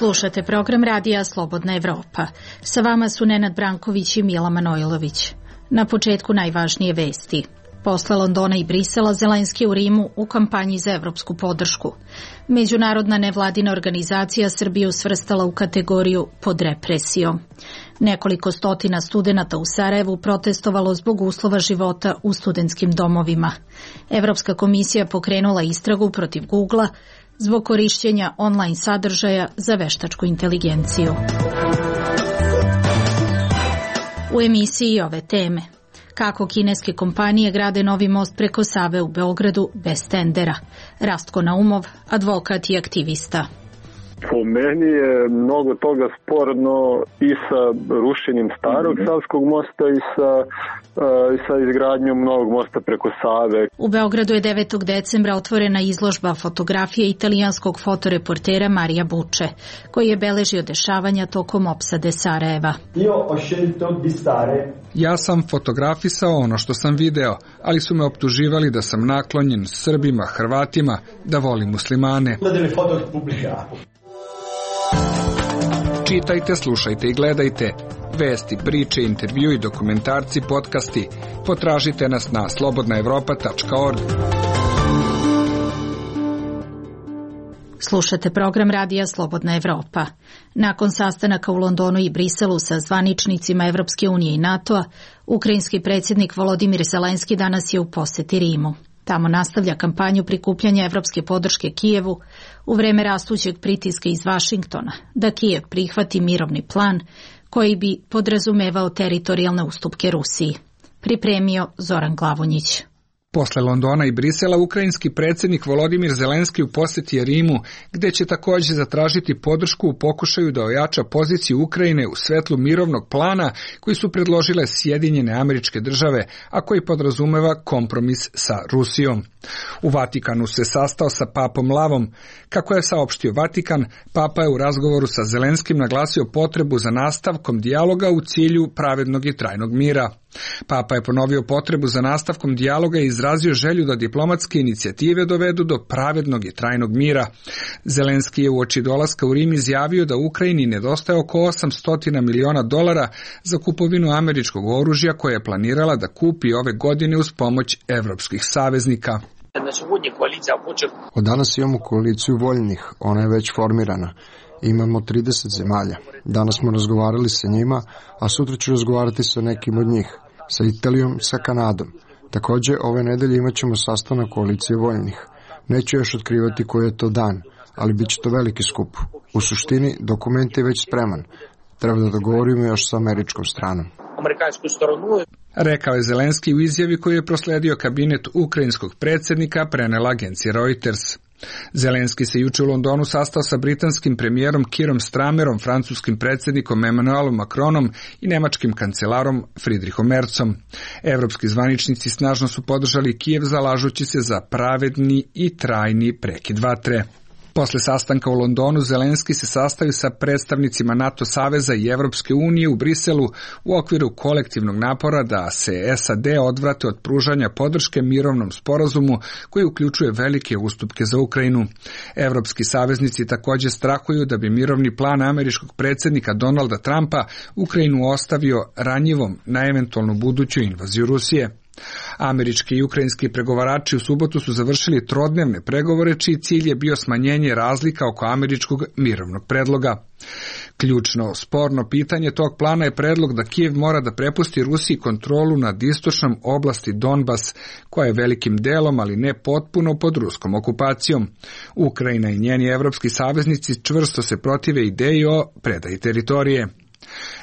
Slušate program radija Slobodna Evropa. Sa vama su Nenad Branković i Mila Manojlović. Na početku najvažnije vesti. Posle Londona i Brisela, Zelenski u Rimu u kampanji za evropsku podršku. Međunarodna nevladina organizacija Srbiju svrstala u kategoriju pod represijom. Nekoliko stotina studenata u Sarajevu protestovalo zbog uslova života u studentskim domovima. Evropska komisija pokrenula istragu protiv Googlea zbog korišćenja online sadržaja za veštačku inteligenciju. U emisiji ove teme. Kako kineske kompanije grade novi most preko Save u Beogradu bez tendera. Rastko Naumov, advokat i aktivista. Po meni je mnogo toga sporno i sa rušenjem starog Savskog mosta i sa izgradnjom novog mosta preko Save. U Beogradu je 9. decembra otvorena izložba fotografije italijanskog fotoreportera Marija Buče, koji je beležio dešavanja tokom opsade Sarajeva. Ja sam fotografisao ono što sam video, ali su me optuživali da sam naklonjen Srbima, Hrvatima, da volim muslimane. Čitajte, slušajte i gledajte. Vesti, priče, intervju i dokumentarci, podcasti. Potražite nas na slobodnaevropa.org. Slušate program radija Slobodna Evropa. Nakon sastanaka u Londonu i Briselu sa zvaničnicima Evropske unije i NATO-a, ukrajinski predsjednik Volodimir Zelenski danas je u poseti Rimu. Tamo nastavlja kampanju prikupljanja evropske podrške Kijevu u vreme rastućeg pritiska iz Vašingtona da Kijev prihvati mirovni plan koji bi podrazumevao teritorijalne ustupke Rusiji. Pripremio Zoran Glavonjić. Posle Londona i Brisela, ukrajinski predsjednik Volodimir Zelenski u posjeti je Rimu, gde će također zatražiti podršku u pokušaju da ojača poziciju Ukrajine u svetlu mirovnog plana koji su predložile Sjedinjene Američke Države, a koji podrazumeva kompromis sa Rusijom. U Vatikanu se sastao sa papom Lavom. Kako je saopštio Vatikan, papa je u razgovoru sa Zelenskim naglasio potrebu za nastavkom dijaloga u cilju pravednog i trajnog mira. Papa je ponovio potrebu za nastavkom dijaloga i izrazio želju da diplomatske inicijative dovedu do pravednog i trajnog mira. Zelenski je uoči dolaska u Rim izjavio da Ukrajini nedostaje oko $800 miliona za kupovinu američkog oružja koje je planirala da kupi ove godine uz pomoć evropskih saveznika. Od danas imamo koaliciju voljnih, ona je već formirana. Imamo 30 zemalja. Danas smo razgovarali sa njima, a sutra ću razgovarati sa nekim od njih, sa Italijom, sa Kanadom. Također, ove nedelje imat ćemo sastanak koalicije voljnih. Neću još otkrivati koji je to dan, ali bit će to veliki skup. U suštini, dokument je već spreman. Treba da dogovorimo još sa američkom stranom. Rekao je Zelenski u izjavi koju je prosledio kabinet ukrajinskog predsjednika, prenela agencija Reuters. Zelenski se juče u Londonu sastao sa britanskim premijerom Kierom Starmerom, francuskim predsjednikom Emmanuelom Macronom i nemačkim kancelarom Friedrichom Merzom. Evropski zvaničnici snažno su podržali Kijev zalažući se za pravedni i trajni prekid vatre. Posle sastanka u Londonu, Zelenski se sastavi sa predstavnicima NATO saveza i Evropske unije u Briselu u okviru kolektivnog napora da se SAD odvrate od pružanja podrške mirovnom sporazumu koji uključuje velike ustupke za Ukrajinu. Evropski saveznici također strahuju da bi mirovni plan američkog predsjednika Donalda Trumpa Ukrajinu ostavio ranjivom na eventualnu buduću invaziju Rusije. Američki i ukrajinski pregovarači u subotu su završili trodnevne pregovore čiji cilj je bio smanjenje razlika oko američkog mirovnog predloga. Ključno sporno pitanje tog plana je predlog da Kijev mora da prepusti Rusiji kontrolu nad istočnom oblasti Donbas, koja je velikim delom, ali ne potpuno, pod ruskom okupacijom. Ukrajina i njeni evropski saveznici čvrsto se protive ideji o predaji teritorije.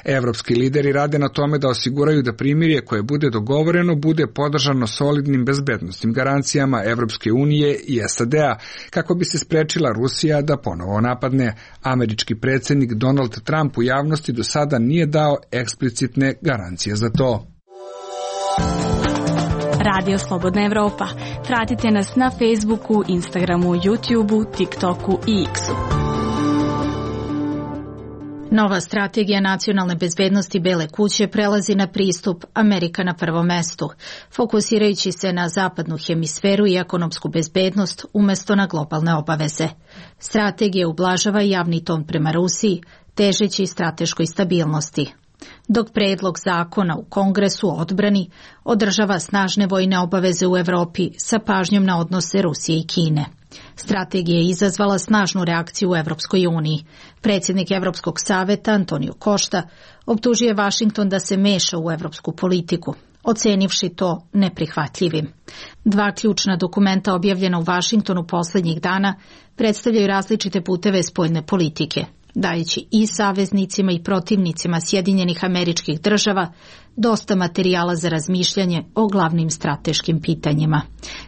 Evropski lideri rade na tome da osiguraju da primirje koje bude dogovoreno bude podržano solidnim bezbednosnim garancijama Evropske unije i SAD-a kako bi se sprečila Rusija da ponovo napadne. Američki predsjednik Donald Trump u javnosti do sada nije dao eksplicitne garancije za to. Radio Slobodna Evropa. Pratite nas na Facebooku, Instagramu, YouTubeu, TikToku i X-u. Nova strategija nacionalne bezbednosti Bele kuće prelazi na pristup Amerika na prvom mestu, fokusirajući se na zapadnu hemisferu i ekonomsku bezbednost umjesto na globalne obaveze. Strategija ublažava javni ton prema Rusiji, težeći strateškoj stabilnosti, dok predlog zakona u Kongresu o odbrani održava snažne vojne obaveze u Evropi sa pažnjom na odnose Rusije i Kine. Strategija je izazvala snažnu reakciju u Evropskoj uniji. Predsjednik Evropskog saveta Antonio Costa optužio je Vašington da se meša u evropsku politiku, ocenivši to neprihvatljivim. Dva ključna dokumenta objavljena u Vašingtonu posljednjih dana predstavljaju različite puteve spoljne politike, dajući i saveznicima i protivnicima Sjedinjenih Američkih Država dosta materijala za razmišljanje o glavnim strateškim pitanjima.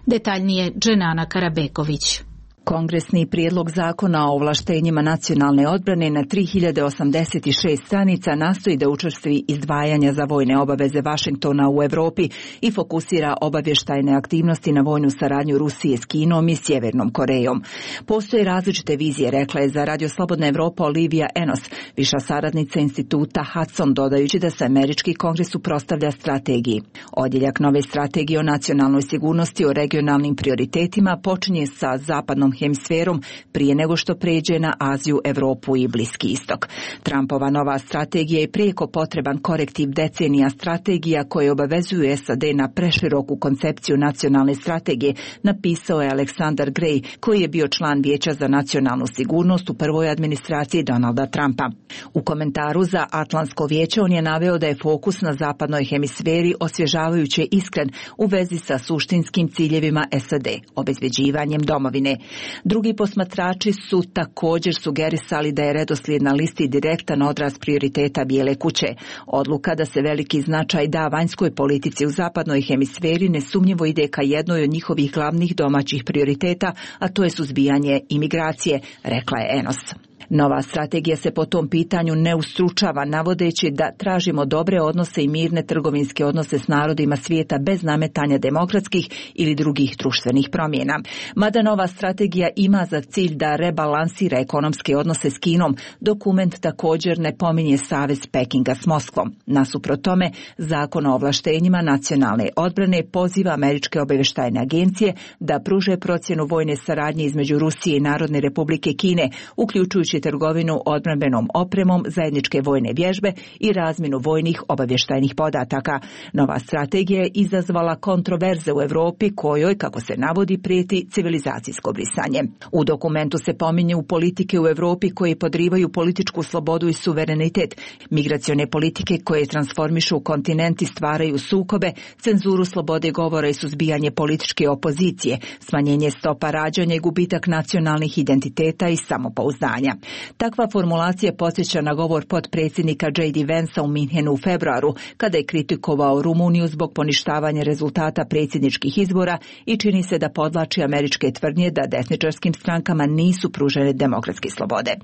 Detaljnije Dženana Karabegović. Kongresni prijedlog zakona o ovlaštenjima nacionalne odbrane na 3086 stranica nastoji da učvrsti izdvajanja za vojne obaveze Vašingtona u Evropi i fokusira obavještajne aktivnosti na vojnu saradnju Rusije s Kinom i Sjevernom Korejom. Postoje različite vizije, rekla je za Radio Slobodna Evropa Olivia Enos, viša saradnica instituta Hudson, dodajući da se američki kongres suprotstavlja strategiji. Odjeljak nove strategije o nacionalnoj sigurnosti o regionalnim prioritetima počinje sa zapadnom hemisferom prije nego što pređe na Aziju, Evropu i Bliski istok. Trumpova nova strategija je prijeko potreban korektiv decenija strategija koje obavezuju SAD na preširoku koncepciju nacionalne strategije, napisao je Aleksandar Gray, koji je bio član Vijeća za nacionalnu sigurnost u prvoj administraciji Donalda Trumpa. U komentaru za Atlantsko vijeće on je naveo da je fokus na zapadnoj hemisferi osvježavajuće iskren u vezi sa suštinskim ciljevima SAD, obezbeđivanjem domovine. Drugi posmatrači su također sugerisali da je redoslijed na listi direktan odraz prioriteta Bijele kuće. Odluka da se veliki značaj da vanjskoj politici u zapadnoj hemisferi nesumnjivo ide ka jednoj od njihovih glavnih domaćih prioriteta, a to je suzbijanje imigracije, rekla je Enos. Nova strategija se po tom pitanju ne ustručava, navodeći da tražimo dobre odnose i mirne trgovinske odnose s narodima svijeta bez nametanja demokratskih ili drugih društvenih promjena. Mada nova strategija ima za cilj da rebalansira ekonomske odnose s Kinom, dokument također ne pominje savez Pekinga s Moskvom. Nasuprot tome, Zakon o ovlaštenjima nacionalne odbrane poziva američke obavještajne agencije da pruže procjenu vojne saradnje između Rusije i Narodne Republike Kine, uključujući trgovinu odbrambenom opremom, zajedničke vojne vježbe i razmjenu vojnih obavještajnih podataka. Nova strategija je izazvala kontroverze u Europi kojoj, kako se navodi, prijeti civilizacijsko brisanje. U dokumentu se pominju politike u Europi koje podrivaju političku slobodu i suverenitet, migracione politike koje transformišu kontinent i stvaraju sukobe, cenzuru slobode govora i suzbijanje političke opozicije, smanjenje stopa rađanja i gubitak nacionalnih identiteta i samopouzdanja. Takva formulacija podsjeća na govor potpredsjednika J.D. Vansa u Minhenu u februaru, kada je kritikovao Rumuniju zbog poništavanja rezultata predsjedničkih izbora i čini se da podvlači američke tvrdnje da desničarskim strankama nisu pružene demokratske slobode.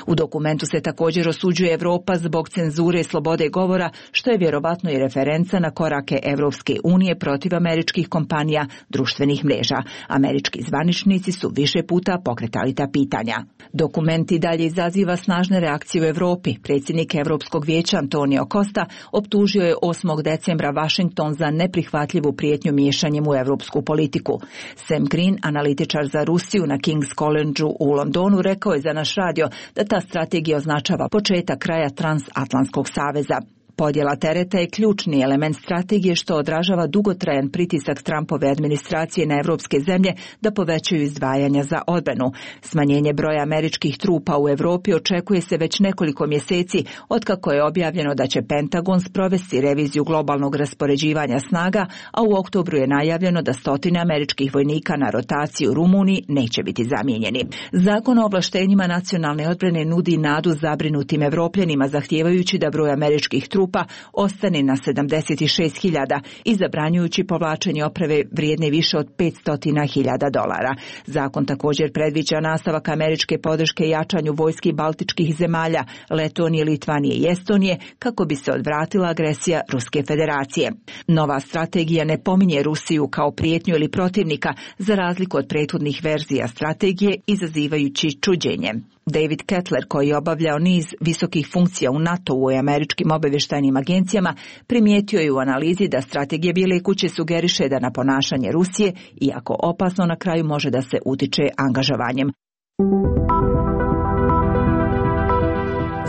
U dokumentu se također osuđuje Evropa zbog cenzure slobode govora, što je vjerovatno i referenca na korake Evropske unije protiv američkih kompanija društvenih mreža. Američki zvaničnici su više puta pokretali ta pitanja. Dokumenti dalje izaziva snažne reakcije u Europi. Predsjednik Europskog vijeća Antonio Costa optužio je 8. decembra Washington za neprihvatljivu prijetnju miješanjem u europsku politiku. Sam Green, analitičar za Rusiju na King's College u Londonu, rekao je za naš radio da ta strategija označava početak kraja transatlantskog saveza. Podjela tereta je ključni element strategije što odražava dugotrajan pritisak Trumpove administracije na evropske zemlje da povećaju izdvajanja za odbranu. Smanjenje broja američkih trupa u Europi očekuje se već nekoliko mjeseci otkako je objavljeno da će Pentagon sprovesti reviziju globalnog raspoređivanja snaga, a u oktobru je najavljeno da 100 američkih vojnika na rotaciji u Rumuniji neće biti zamijenjeni. Zakon o ovlaštenjima nacionalne odbrane nudi nadu zabrinutim Evropljanima, zahtijevajući da broj američkih trupa ostane na 76.000 i zabranjujući povlačenje opreme vrijedne više od $500.000. Zakon također predviđa nastavak američke podrške jačanju vojski baltičkih zemalja, Letonije, Litvanije i Estonije, kako bi se odvratila agresija Ruske federacije. Nova strategija ne pominje Rusiju kao prijetnju ili protivnika, za razliku od prethodnih verzija strategije, izazivajući čuđenje. David Kettler, koji je obavljao niz visokih funkcija u NATO-u i američkim obavještajnim agencijama, primijetio je u analizi da strategija Bijele kuće sugeriše da na ponašanje Rusije, iako opasno, na kraju može da se utiče angažovanjem.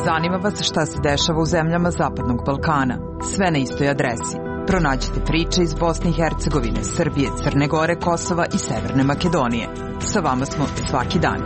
Zanima vas šta se dešava u zemljama Zapadnog Balkana? Sve na istoj adresi. Pronađite priče iz Bosne i Hercegovine, Srbije, Crne Gore, Kosova i Severne Makedonije. Sa vama smo svaki dan.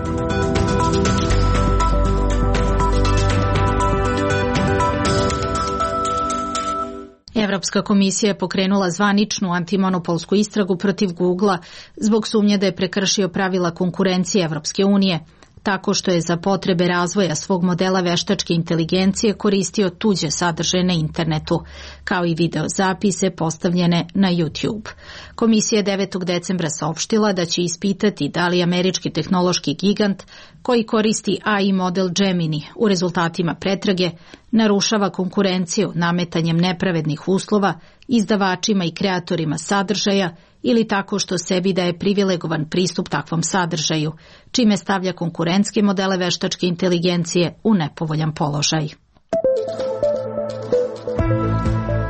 Evropska komisija je pokrenula zvaničnu antimonopolsku istragu protiv Googlea zbog sumnje da je prekršio pravila konkurencije Evropske unije, tako što je za potrebe razvoja svog modela veštačke inteligencije koristio tuđe sadržaje na internetu, kao i videozapise postavljene na YouTube. Komisija je 9. decembra saopštila da će ispitati da li američki tehnološki gigant, koji koristi AI model Gemini u rezultatima pretrage, narušava konkurenciju nametanjem nepravednih uslova izdavačima i kreatorima sadržaja ili tako što sebi daje privilegovan pristup takvom sadržaju, čime stavlja konkurentske modele veštačke inteligencije u nepovoljan položaj.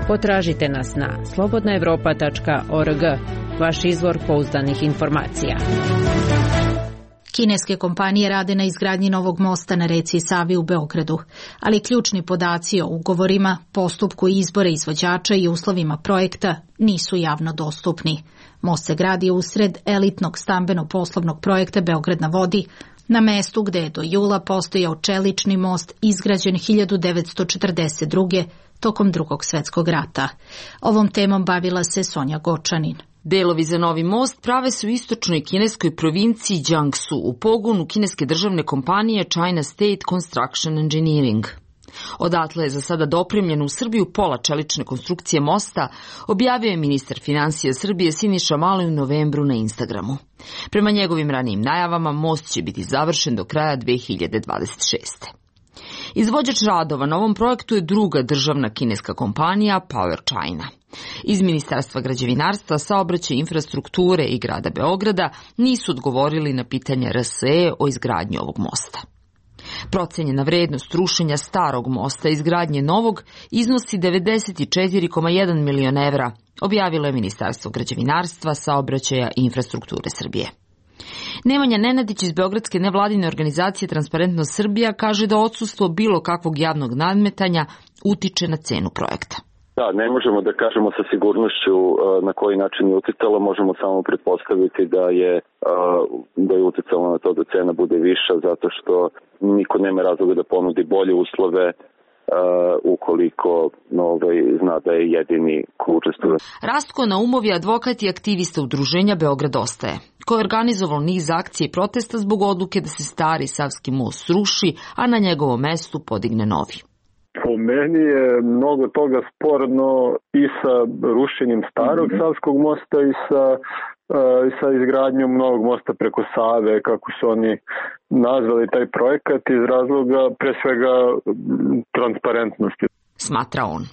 Potražite nas na slobodnaevropa.org, vaš izvor pouzdanih informacija. Kineske kompanije rade na izgradnji novog mosta na reci Savi u Beogradu, ali ključni podaci o ugovorima, postupku izbora izvođača i uslovima projekta nisu javno dostupni. Most se gradi usred elitnog stambeno-poslovnog projekta Beograd na vodi, na mestu gde je do jula postojao čelični most izgrađen 1942. tokom Drugog svjetskog rata. Ovom temom bavila se Sonja Gočanin. Delovi za novi most prave se u istočnoj kineskoj provinciji Jiangsu u pogonu kineske državne kompanije China State Construction Engineering. Odatle je za sada dopremljeno u Srbiju pola čelične konstrukcije mosta, objavio je ministar finansija Srbije Siniša Mali u novembru na Instagramu. Prema njegovim ranijim najavama, most će biti završen do kraja 2026. Izvođač radova na ovom projektu je druga državna kineska kompanija Power China. Iz Ministarstva građevinarstva, saobraćaja i infrastrukture i grada Beograda nisu odgovorili na pitanja RSE o izgradnji ovog mosta. Procenjena vrednost rušenja starog mosta i izgradnje novog iznosi 94,1 milion evra, objavilo je Ministarstvo građevinarstva, saobraćaja i infrastrukture Srbije. Nemanja Nenadić iz beogradske nevladine organizacije Transparentnost Srbija kaže da odsustvo bilo kakvog javnog nadmetanja utiče na cenu projekta. Da, ne možemo da kažemo sa sigurnošću na koji način je uticalo, možemo samo pretpostaviti da je uticalo na to da cena bude viša, zato što niko nema razloga da ponudi bolje uslove ukoliko zna da je jedini ko učestvuje. Rastko Naumov je advokat i aktivista udruženja Beograd ostaje, koji je organizovao niz akcije i protesta zbog odluke da se stari Savski most sruši, a na njegovom mestu podigne novi. Po meni je mnogo toga sporno i sa rušenjem starog Savskog mosta i sa izgradnjom novog mosta preko Save, kako su oni nazvali taj projekat, iz razloga pre svega transparentnosti. Smatra on.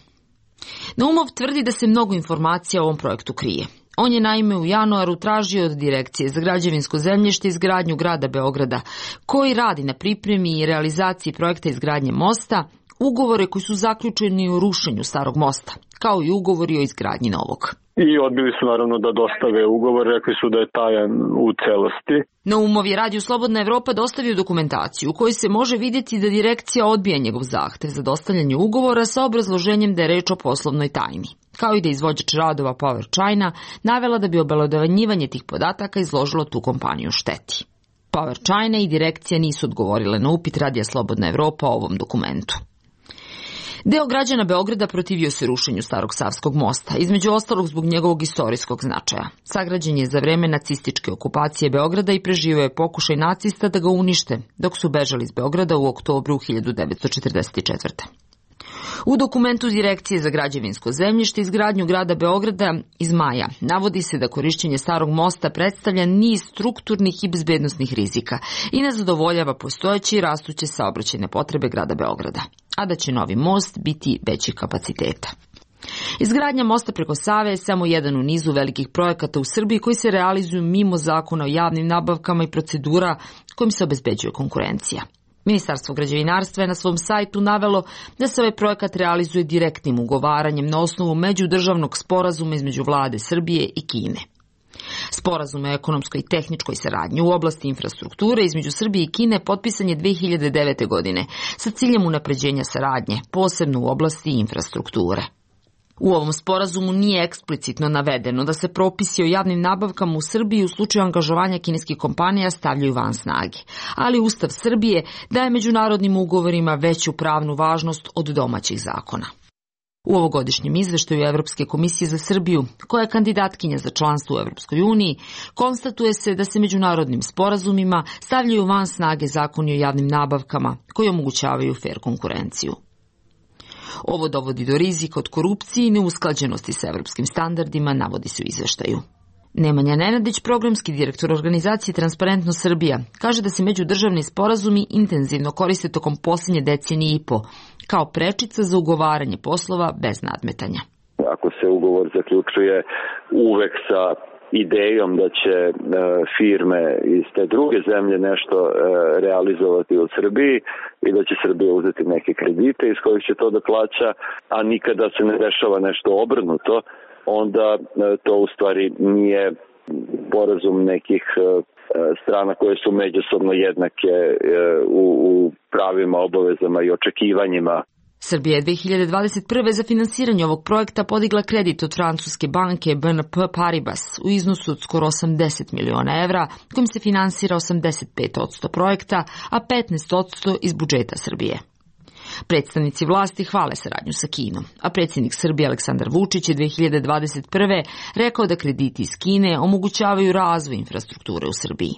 Naumov tvrdi da se mnogo informacija o ovom projektu krije. On je naime u januaru tražio od Direkcije za građevinsko zemljište i izgradnju grada Beograda, koji radi na pripremi i realizaciji projekta izgradnje mosta, ugovore koji su zaključeni o rušenju starog mosta, kao i ugovori o izgradnji novog. I odbili su naravno da dostave ugovor, rekli su da je tajan u celosti. Naumov je Radio Slobodna Evropa dostavio dokumentaciju u kojoj se može vidjeti da direkcija odbija njegov zahtev za dostavljanje ugovora sa obrazloženjem da je reč o poslovnoj tajni, kao i da izvođač radova Power China navela da bi obelodanjivanje tih podataka izložilo tu kompaniju šteti. Power China i direkcija nisu odgovorile na upit Radija Slobodna Evropa o ovom dokumentu. Deo građana Beograda protivio se rušenju starog Savskog mosta, između ostalog zbog njegovog istorijskog značaja. Sagrađen je za vreme nacističke okupacije Beograda i preživio je pokušaj nacista da ga unište, dok su bežali iz Beograda u oktobru 1944. U dokumentu Direkcije za građevinsko zemljište i izgradnju grada Beograda iz maja navodi se da korišćenje starog mosta predstavlja niz strukturnih i bezbednosnih rizika i ne zadovoljava postojeće i rastuće saobraćajne potrebe grada Beograda, a da će novi most biti većih kapaciteta. Izgradnja mosta preko Save je samo jedan u nizu velikih projekata u Srbiji koji se realizuju mimo zakona o javnim nabavkama i procedura kojim se obezbeđuje konkurencija. Ministarstvo građevinarstva je na svom sajtu navelo da se ovaj projekat realizuje direktnim ugovaranjem na osnovu međudržavnog sporazuma između vlade Srbije i Kine. Sporazum o ekonomskoj i tehničkoj saradnji u oblasti infrastrukture između Srbije i Kine potpisan je 2009. godine sa ciljem unapređenja saradnje, posebno u oblasti infrastrukture. U ovom sporazumu nije eksplicitno navedeno da se propisi o javnim nabavkama u Srbiji u slučaju angažovanja kineskih kompanija stavljaju van snage, ali Ustav Srbije daje međunarodnim ugovorima veću pravnu važnost od domaćih zakona. U ovogodišnjem izveštaju Evropske komisije za Srbiju, koja je kandidatkinja za članstvo u Evropskoj uniji, konstatuje se da se međunarodnim sporazumima stavljaju van snage zakoni o javnim nabavkama koji omogućavaju fer konkurenciju. Ovo dovodi do rizika od korupcije i neusklađenosti sa evropskim standardima, navodi se u izveštaju. Nemanja Nenadić, programski direktor organizacije Transparentno Srbija, kaže da se međudržavni sporazumi intenzivno koriste tokom posljednje decenije i po, kao prečica za ugovaranje poslova bez nadmetanja. Ako se ugovor zaključuje uvek sa idejom da će firme iz te druge zemlje nešto realizovati u Srbiji i da će Srbija uzeti neke kredite iz kojih će to da plaća, a nikada se ne dešava nešto obrnuto, onda to u stvari nije sporazum nekih strana koje su međusobno jednake u pravima, obavezama i očekivanjima. Srbija je 2021. za finansiranje ovog projekta podigla kredit od francuske banke BNP Paribas u iznosu od skoro 80 miliona evra, kojim se finansira 85% projekta, a 15% iz budžeta Srbije. Predstavnici vlasti hvale saradnju sa Kinom, a predsjednik Srbije Aleksandar Vučić je 2021. rekao da krediti iz Kine omogućavaju razvoj infrastrukture u Srbiji.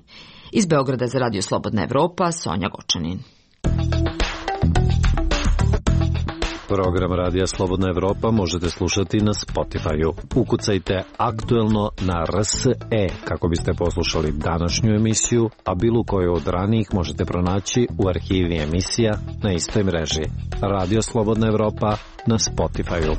Iz Beograda za Radio Slobodna Evropa, Sonja Gočanin. Program Radija Slobodna Evropa možete slušati na Spotify-u. Ukucajte aktuelno na RSE kako biste poslušali današnju emisiju, a bilo koju od ranijih možete pronaći u arhivi emisija na istoj mreži. Radio Slobodna Evropa na Spotify-u.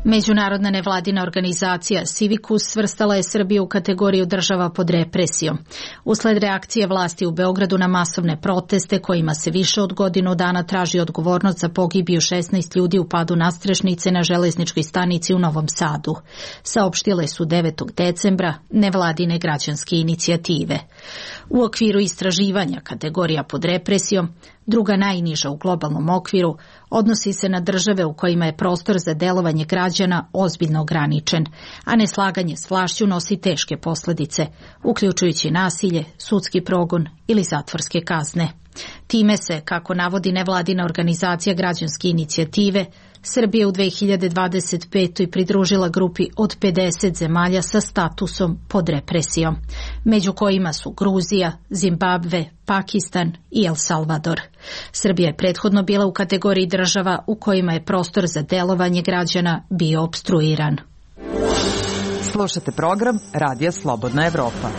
Međunarodna nevladina organizacija Civicus svrstala je Srbiju u kategoriju država pod represijom. Usled reakcije vlasti u Beogradu na masovne proteste kojima se više od godinu dana traži odgovornost za pogibiju 16 ljudi u padu nadstrešnice na železničkoj stanici u Novom Sadu, saopštile su 9. decembra nevladine građanske inicijative. U okviru istraživanja kategorija pod represijom, druga najniža u globalnom okviru, odnosi se na države u kojima je prostor za delovanje građana ozbiljno ograničen, a neslaganje s vlašću nosi teške posljedice, uključujući nasilje, sudski progon ili zatvorske kazne. Time se, kako navodi nevladina organizacija građanske inicijative, Srbija u 2025. pridružila grupi od 50 zemalja sa statusom pod represijom, među kojima su Gruzija, Zimbabve, Pakistan i El Salvador. Srbija je prethodno bila u kategoriji država u kojima je prostor za delovanje građana bio opstruiran. Slušate program Radija Slobodna Evropa.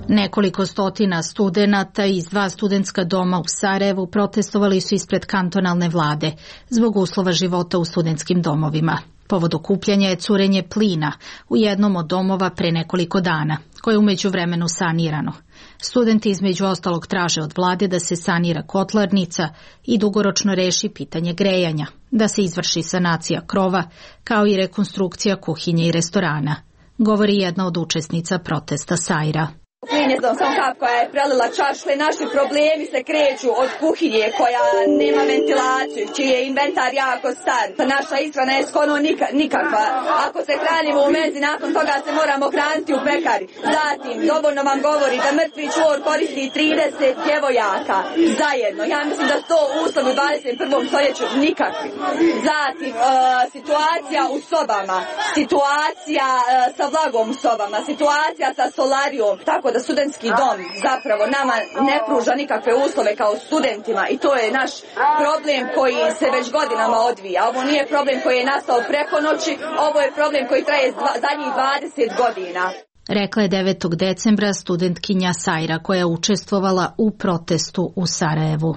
Nekoliko stotina studenata iz 2 studentska doma u Sarajevu protestovali su ispred kantonalne vlade zbog uslova života u studentskim domovima. Povod okupljanja je curenje plina u jednom od domova pre nekoliko dana, koje je u međuvremenu sanirano. Studenti između ostalog traže od vlade da se sanira kotlarnica i dugoročno reši pitanje grejanja, da se izvrši sanacija krova, kao i rekonstrukcija kuhinje i restorana, govori jedna od učesnica protesta Sajra. Plin je samo kap koja je prelila čašu i naši problemi se kreću od kuhinje koja nema ventilaciju, čiji je inventar jako star. Naša ishrana je skoro nikakva. Ako se hranimo u menzi, nakon toga se moramo hraniti u pekari. Zatim, dovoljno vam govori da mrtvi čvor koristi 30 djevojaka zajedno. Ja mislim da to uslovi u 21. stoljeću nikakvi. Zatim, situacija u sobama, situacija sa vlagom u sobama, situacija sa solarijom, tako da studentski dom zapravo nama ne pruža nikakve uslove kao studentima i to je naš problem koji se već godinama odvija. Ovo nije problem koji je nastao preko noći, ovo je problem koji traje zadnjih 20 godina. Rekla je 9. decembra studentkinja Sajra koja je učestvovala u protestu u Sarajevu.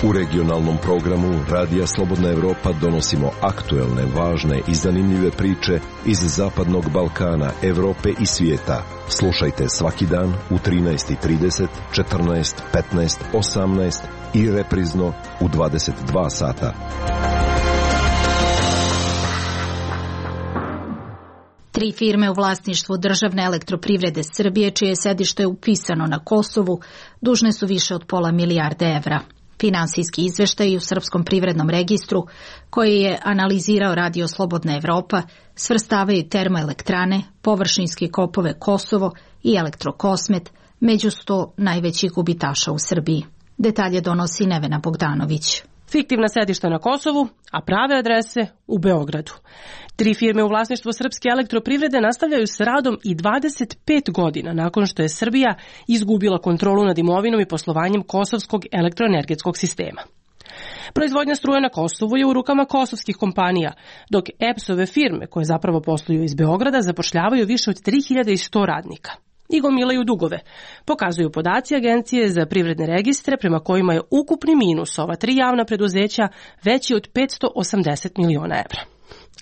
U regionalnom programu Radija Slobodna Evropa donosimo aktuelne, važne i zanimljive priče iz Zapadnog Balkana, Evrope i svijeta. Slušajte svaki dan u 13:30, 14, 15, 18 i reprizno u 22 sata. Tri firme u vlasništvu Državne elektroprivrede Srbije, čije sedište je upisano na Kosovu, dužne su više od £500 milijarde. Finansijski izveštaji u Srpskom privrednom registru, koji je analizirao Radio Slobodna Evropa, svrstavaju termoelektrane, površinske kopove Kosovo i Elektrokosmet među 100 najvećih gubitaša u Srbiji. Detalje donosi Nevena Bogdanović. Fiktivna sedišta na Kosovu, a prave adrese u Beogradu. Tri firme u vlasništvu Srpske elektroprivrede nastavljaju s radom i 25 godina nakon što je Srbija izgubila kontrolu nad imovinom i poslovanjem kosovskog elektroenergetskog sistema. Proizvodnja struje na Kosovu je u rukama kosovskih kompanija, dok EPS-ove firme, koje zapravo posluju iz Beograda, zapošljavaju više od 3100 radnika i gomilaju dugove, pokazuju podaci Agencije za privredne registre, prema kojima je ukupni minus ova tri javna preduzeća veći od 580 miliona evra.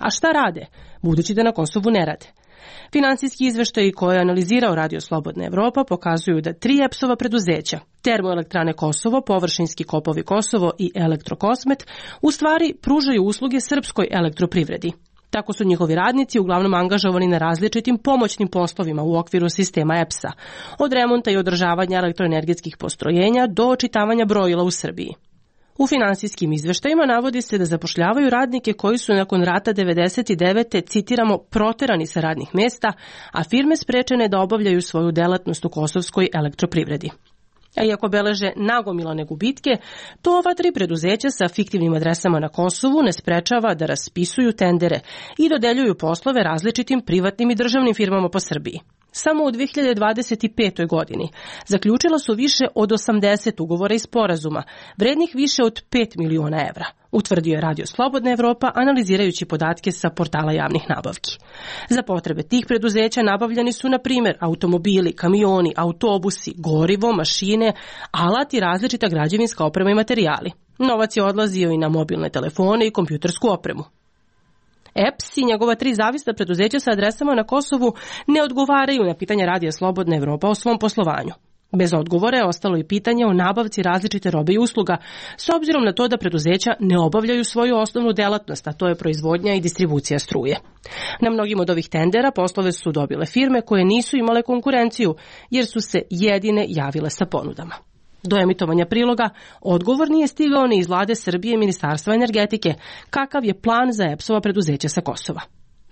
A šta rade, budući da na Kosovu ne rade? Finansijski izveštaji koje je analizirao Radio Slobodna Evropa pokazuju da tri EPS-ova preduzeća, Termoelektrane Kosovo, Površinski kopovi Kosovo i Elektrokosmet, u stvari pružaju usluge srpskoj elektroprivredi. Tako su njihovi radnici uglavnom angažovani na različitim pomoćnim poslovima u okviru sistema EPS-a, od remonta i održavanja elektroenergetskih postrojenja do očitavanja brojila u Srbiji. U finansijskim izveštajima navodi se da zapošljavaju radnike koji su nakon rata 99. citiramo, proterani sa radnih mesta, a firme sprečene da obavljaju svoju delatnost u kosovskoj elektroprivredi. A iako beleže nagomilane gubitke, to ova tri preduzeća sa fiktivnim adresama na Kosovu ne sprečava da raspisuju tendere i dodeljuju poslove različitim privatnim i državnim firmama po Srbiji. Samo u 2025. godini zaključila su više od 80 ugovora i sporazuma, vrednih više od 5 miliona evra, utvrdio je Radio Slobodna Evropa analizirajući podatke sa portala javnih nabavki. Za potrebe tih preduzeća nabavljani su, na primjer, automobili, kamioni, autobusi, gorivo, mašine, alat i različita građevinska oprema i materijali. Novac je odlazio i na mobilne telefone i kompjutersku opremu. EPS i njegova tri zavisna preduzeća sa adresama na Kosovu ne odgovaraju na pitanja Radija Slobodna Evropa o svom poslovanju. Bez odgovora je ostalo i pitanje o nabavci različite robe i usluga, s obzirom na to da preduzeća ne obavljaju svoju osnovnu delatnost, a to je proizvodnja i distribucija struje. Na mnogim od ovih tendera poslove su dobile firme koje nisu imale konkurenciju, jer su se jedine javile sa ponudama. Do emitovanja priloga odgovor nije stigao ni iz Vlade Srbije i Ministarstva energetike, kakav je plan za EPS-ova preduzeća sa Kosova.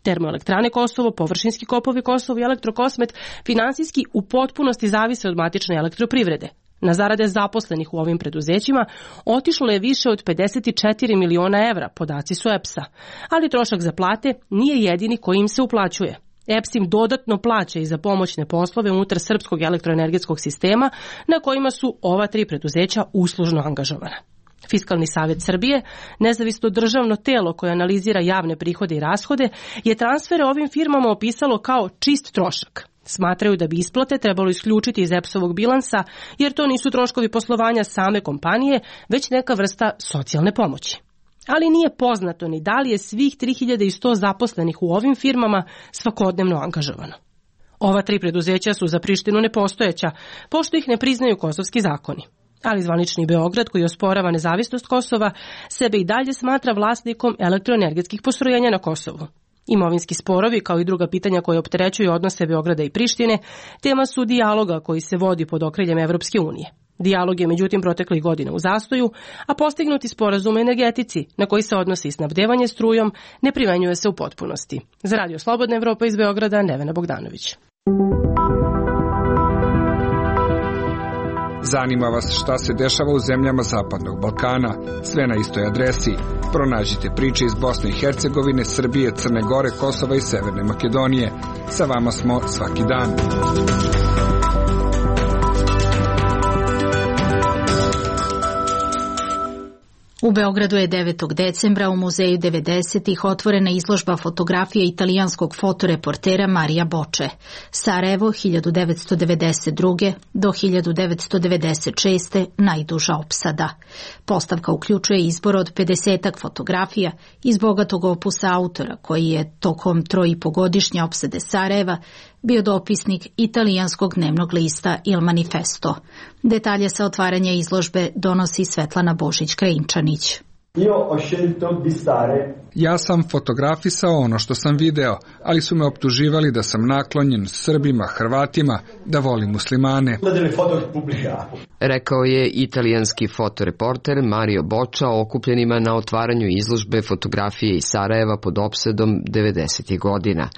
Termoelektrane Kosovo, Površinski kopovi Kosovo i Elektrokosmet finansijski u potpunosti zavise od matične elektroprivrede. Na zarade zaposlenih u ovim preduzećima otišlo je više od 54 miliona evra, podaci su EPS-a, ali trošak za plate nije jedini koji im se uplaćuje. EPS im dodatno plaća i za pomoćne poslove unutar srpskog elektroenergetskog sistema na kojima su ova tri preduzeća uslužno angažovana. Fiskalni savjet Srbije, nezavisno državno telo koje analizira javne prihode i rashode, je transfere ovim firmama opisalo kao čist trošak. Smatraju da bi isplate trebalo isključiti iz EPS-ovog bilansa, jer to nisu troškovi poslovanja same kompanije, već neka vrsta socijalne pomoći. Ali nije poznato ni da li je svih 3100 zaposlenih u ovim firmama svakodnevno angažovano. Ova tri preduzeća su za Prištinu nepostojeća, pošto ih ne priznaju kosovski zakoni. Ali zvanični Beograd, koji osporava nezavisnost Kosova, sebe i dalje smatra vlasnikom elektroenergetskih postrojenja na Kosovu. Imovinski sporovi, kao i druga pitanja koje opterećuju odnose Beograda i Prištine, tema su dijaloga koji se vodi pod okriljem Evropske unije. Dijalog je međutim proteklih godina u zastoju, a postignuti sporazum o energetici, na koji se odnosi snabdevanje strujom, ne primenjuje se u potpunosti. Za Radio Slobodna Evropa iz Beograda, Nevena Bogdanović. Zanima vas šta se dešava u zemljama Zapadnog Balkana? Sve na istoj adresi. Pronađite priče iz Bosne i Hercegovine, Srbije, Crne Gore, Kosova i Severne Makedonije. Sa vama smo svaki dan. U Beogradu je 9. decembra u Muzeju 90-ih otvorena izložba fotografija italijanskog fotoreportera Marija Boče. Sarajevo 1992. do 1996. najduža opsada. Postavka uključuje izbor od 50-ak fotografija iz bogatog opusa autora koji je tokom 3,5-godišnje opsade Sarajeva bio dopisnik italijanskog dnevnog lista Il Manifesto. Detalje sa otvaranja izložbe donosi Svetlana Božić-Krajinčanić. Ja sam fotografisao ono što sam video, ali su me optuživali da sam naklonjen Srbima, Hrvatima, da volim muslimane. Rekao je italijanski fotoreporter Mario Boča okupljenima na otvaranju izložbe fotografije iz Sarajeva pod opsedom 90. godina.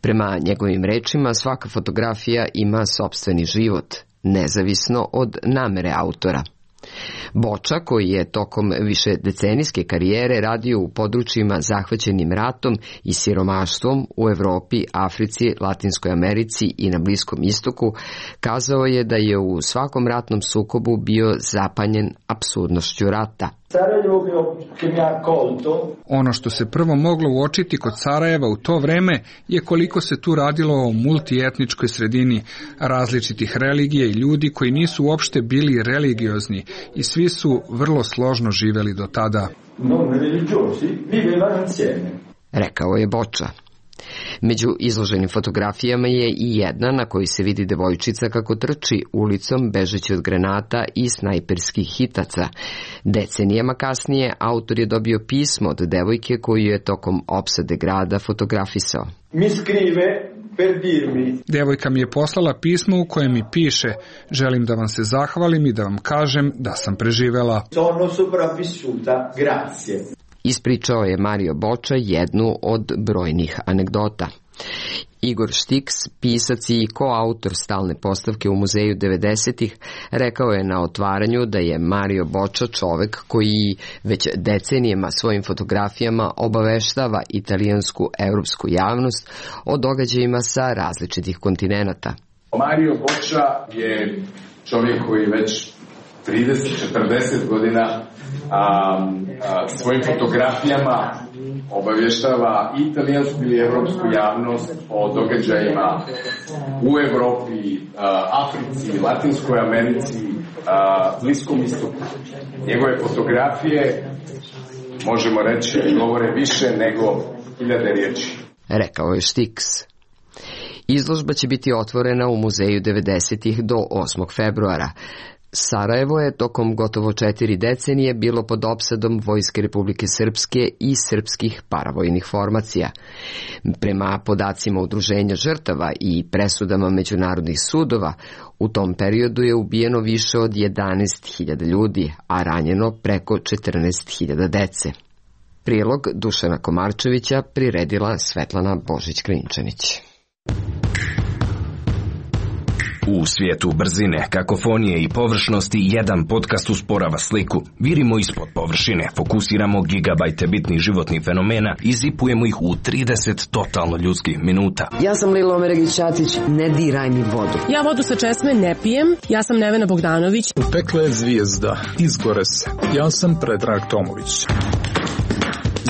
Prema njegovim rečima, svaka fotografija ima sopstveni život, nezavisno od namere autora. Boča, koji je tokom višedecenijske karijere radio u područjima zahvaćenim ratom i siromaštvom u Evropi, Africi, Latinskoj Americi i na Bliskom istoku, kazao je da je u svakom ratnom sukobu bio zapanjen apsurdnošću rata. Ono što se prvo moglo uočiti kod Sarajeva u to vreme je koliko se tu radilo o multietničkoj sredini, različitih religija i ljudi koji nisu uopšte bili religiozni i svi su vrlo složno živeli do tada. Rekao je Boča. Među izloženim fotografijama je i jedna na kojoj se vidi devojčica kako trči ulicom bežeći od granata i snajperskih hitaca. Decenijama kasnije autor je dobio pismo od devojke koju je tokom opsade grada fotografisao. Devojka mi je poslala pismo u kojem mi piše: želim da vam se zahvalim i da vam kažem da sam preživela. Ispričao je Mario Boča jednu od brojnih anegdota. Igor Štiks, pisac i koautor stalne postavke u Muzeju 90-ih, rekao je na otvaranju da je Mario Boča čovek koji već decenijama svojim fotografijama obaveštava italijansku europsku javnost o događajima sa različitih kontinenata. Mario Boča je čovjek koji već 30-40 godina svojim fotografijama obavještava italijansku i evropsku javnost o događajima u Evropi, Africi, Latinskoj Americi, Bliskom istoku. Njegove fotografije, možemo reći, govore više nego 1000 riječi. Rekao je Štiks. Izložba će biti otvorena u Muzeju 90-ih do 8. februara. Sarajevo je tokom gotovo 4 decenije bilo pod opsadom Vojske Republike Srpske i srpskih paravojnih formacija. Prema podacima Udruženja žrtava i presudama međunarodnih sudova, u tom periodu je ubijeno više od 11.000 ljudi, a ranjeno preko 14.000 dece. Prilog Dušana Komarčevića priredila Svetlana Božić-Krajinčanić. U svijetu brzine, kakofonije i površnosti jedan podcast usporava sliku. Virimo ispod površine, fokusiramo gigabajte bitnih životnih fenomena i zipujemo ih u 30 totalno ljudskih minuta. Ja sam Lilo Omeregić-Ćatić, ne diraj mi vodu. Ja vodu sa česme ne pijem, ja sam Nevena Bogdanović. Upekla je zvijezda, izgore se. Ja sam Predrag Tomović.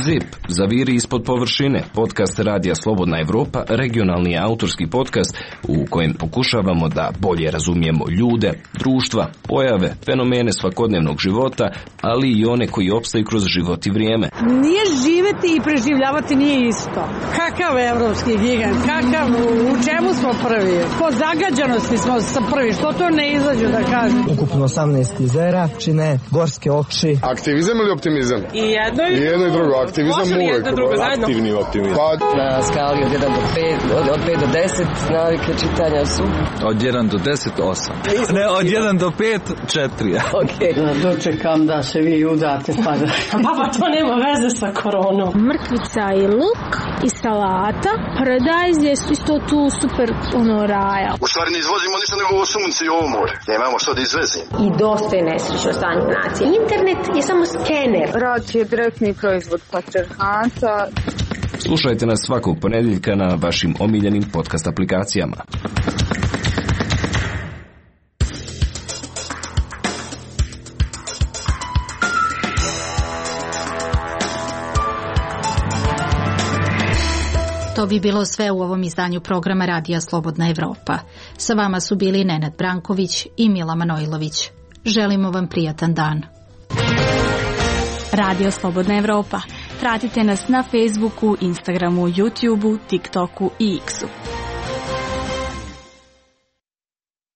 ZIP, zaviri ispod površine, podcast Radija Slobodna Evropa, regionalni autorski podcast u kojem pokušavamo da bolje razumijemo ljude, društva, pojave, fenomene svakodnevnog života, ali i one koji opstaju kroz život i vrijeme. Nije živeti i preživljavati nije isto. Kakav evropski gigant, kakav, u čemu smo prvi? Po zagađanosti smo sa prvi, što to ne izađu da kažem? Ukupno 18 jezera, čine gorske oči. Aktivizam ili optimizam? I jedno i drugo. Aktivizam uvek, aktivni optimizam. Na skali od 1 do 5, od 5 do 10 navike čitanja su? Od 1 do 10, 8. Ne, od 1 do 5, 4. Ok. Dočekam da se vi udate pa da... Pa to nema veze sa koronom. Mrkvica i luk i salata. Paradajz je isto tu super raja. U stvari ne izvozimo ništa nego ovo sunce i ovo more. Nemamo što da izvezimo. I dosta je nesrećno stanje nacije. Internet je samo skener. Rad je direktni proizvod patrijarhata. Slušajte nas svakog ponedjeljka na vašim omiljenim podcast aplikacijama. To bi bilo sve u ovom izdanju programa Radija Slobodna Evropa. Sa vama su bili Nenad Branković i Mila Manojlović. Želimo vam prijatan dan. Radio Slobodna Evropa. Pratite nas na Facebooku, Instagramu, YouTubeu, TikToku i X-u.